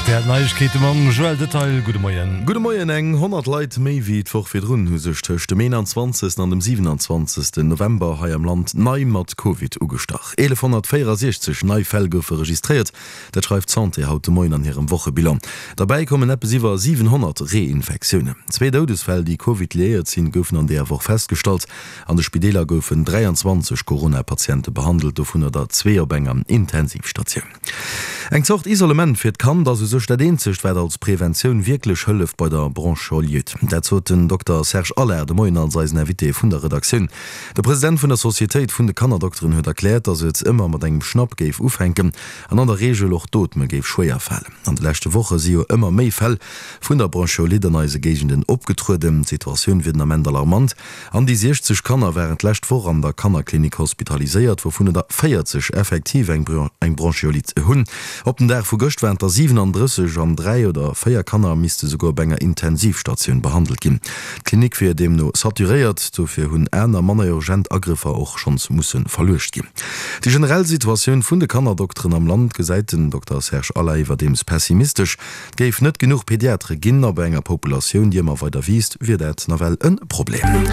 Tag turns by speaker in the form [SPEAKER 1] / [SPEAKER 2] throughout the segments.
[SPEAKER 1] Rtl Neiegkeete mam Joël Detail. Gudde Moien.
[SPEAKER 2] Gudde Moien. Eng 100 Leit méi wéi d'Woch virdrun hu sech tëscht dem 21. an dem 27. November hei am Land nei mat Covid ugestach. 1.164 nei Fäll goufe registréiert, dat schreift d'Santé haut de Moien an hirem Wochebilan. Derbäi kommen eppes iwwer 700 Reinfektiounen. Zwee Doudesfäll, déi Covid-liéiert sinn, goufen an deeër Woch festgestallt. An de Spideeler goufen 23 Corona-Patiente behandelt, dovunner der zwee op enger Intensivstatioun. Eng Zort Isolement fir d'Kand ass u sech dat eenzegt, wat als Preventioun wierklech hëlleft bei der Bronchiolite. Dat sot den Dokter Serge Allard de Moien als eisen Invité vun der Redaktioun. De President vun der Societéit vun de Kannerdokteren huet erkläert, datt et ëmmer mat engem Schnapp géif ufänken an an der Reegel och d'Ootme géif schwéier falen. An de leschte Woche si jo ëmmer méi Fäll vun der Bronchiolite an eise Géigenden opgetrueden. D'Situatioun wier den Ament alarmant. An déi 60 Kanner waren d'lescht Woch an der Kannerklinik hospitaliséiert, wouvun der 40 effektiv eng Bronchiolite hunn. Op den Dag vu gëscht waren et der 37 an 3 oder 4 Kanner misste souguer op enger Intensivstatioun behandelt ginn. D'Klinik wier deemno saturéiert, dofir hunn aner, manner urgent Agrëffer och schonns musse verluecht ginn. Déi generell Situatioun vun de Kannerdokteren am Land gesäit den Dokter Serge Allard iwwerdeems pessimistesch. Et géif net genuch Pediatere ginn a bei enger Populatioun, déi ëmmer weider wiisst, wier dat nawell e Problem.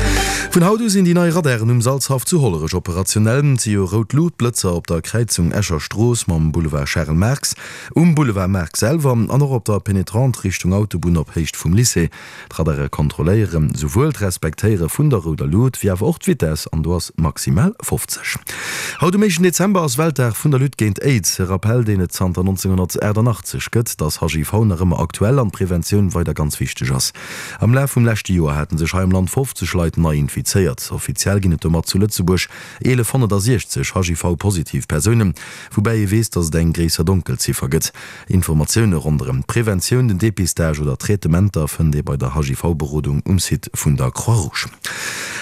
[SPEAKER 2] Vun haut u sinn déi nei Radaren um Salzhaff zu Hollerech operationell. Et si jo rout Luutblëtzer op der Kräizung Escher Strooss mam Boulevard Charel Marx, um Boulevard Marx selwer an och op der Penetrante Richtung Autobunn op Héicht vum Lycée. D'Radare kontrolléiere souwuel d'Respektéiere vun der rouder Lut, wéi awer och d'Vitess, an do ass maximal 50. Haut um éischten Dezember ass Weltdag vun der Lutte géint Aids, e Rappell, deen et zanter 1988 gëtt, dass HIV nach ëmmer aktuell an d'Preventioun weider ganz wichteg ass. Am Laf vum leschte Joer hate sech hei am Land 50 Leit nei infizéiert. Offiziell ginn et domat zu Lëtzebuerg 1160 HIV-positiv Persounen, woubäi ee weess, dass et eng gréisser Donkelziffer gëtt. Informatioune ronderëm d'Preventioun, den Depistage oder d'Traitementer fënnt ee bei der HIV-Berodung um Site vun der Croix-Rouge.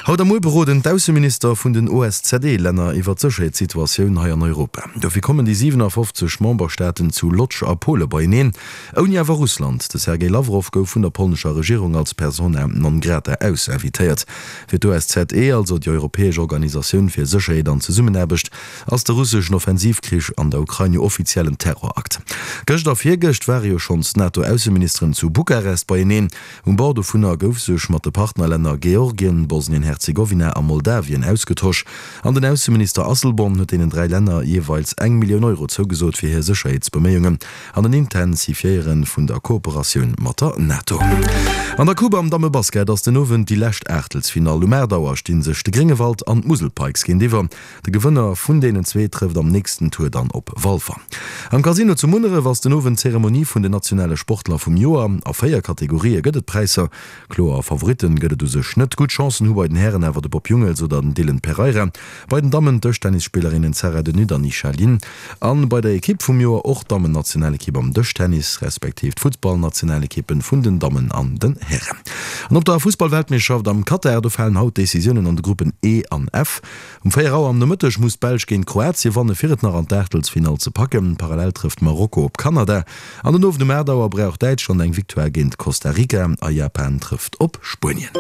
[SPEAKER 2] Haut a muer beroden d'Ausseminister vun den OSZE-Länner iwwer d'Sécherheetssituatioun hei an Europa. Dofir kommen déi 57 Memberstaaten zu Lodz a Pole beieneen, ouni awer Russland. De Sergej Lawrow gouf vun der polnescher Regierung als Persona non grata ausinvitéiert. Fir d'OSZE, also déi europäesch Organisatioun fir Sécherheet an Zesummenaarbecht, ass de russeschen Offensivkrich an der Ukrain jo offiziell en Terrorakt. Gëscht a virgëscht ware jo schonns d'NATO-Ausseministeren zu Bukarest beieneen. Um Bord dovunner gouf sech mat de Partnerlänner Georgien, Bosnien-Herzegowina a Moldawien ausgetosch. An den Ausseminister Asselborn huet deenen 3 Länner jeeweils eng Millioun Euro zougesot fir hir Sécherheetsbeméiungen an en Intensifiéiere vun der Kooperatioun mat der NATO. An der Coupe am Dammebasket ass den Owend déi lescht Aachtelsfinall. Um 8 Auer sti sech de Gréngewald an d'Musel Pikes géintiwwer. De Gewënner vun deenen zwee trëfft am nächsten Tour dann op Walfer. Am Casino zu Munneref ass den Owend d'Zeremonie vun den nationale Sportler vum Joer. A 4 Kategorië gëtt et Präisser. Kloer Favoritten gëtt et u sech net. Gutt Chancen hu bei den Hären awer de Bob Jungels oder den Dylan Pereira. Bei den Dammen d'Dëschtennisspillerinnen Sarah De Nutte an Isha Lin. An bei der Ekipp vum Joer och d'Dammennationalekipp am Dëschtennis, respektiv d'Futtballnationalekippen vun den Dammen an den Hären. An op der Fussballweltmeeschterschaft am Katar, do falen haut d'Decisiounen an de Gruppen E an F. Um 4 Auer am Nomëtteg muss d'Belsch géint Kroatien wanne fir et nach an d'Aachtelsfinall ze packen. Parallel trëfft Marokko op Kanada an den Owend um 8 Auer brauch Däitschland eng Victoire géint Costa Rica a Japan trëfft op Spuenien.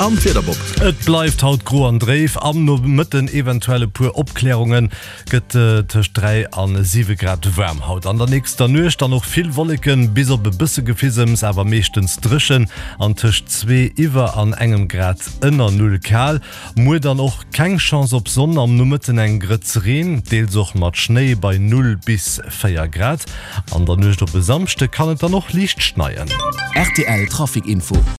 [SPEAKER 2] An d'Wieder, Bob?
[SPEAKER 1] Et bleift haut gro an dréif, am Nomëtten eventuell e puer Opklärungen. Gëtt tëscht 3 an 7 Grad waarm haut. An der nächster Nuecht dann och vill Wolleken, bis op e bësse Gefisems, awer meeschtens dréchen an tëscht 2 iwwer an engem Grad ënner Null kal. Muer dann och keng Chance op Sonn, am Nomëtten eng Grëtz Reen, deels och mat Schnéi bei 0 bis 4 Grad. An der Nuecht op e Samschde kann et dann och liicht schneien.
[SPEAKER 3] Rtl Trafic Info.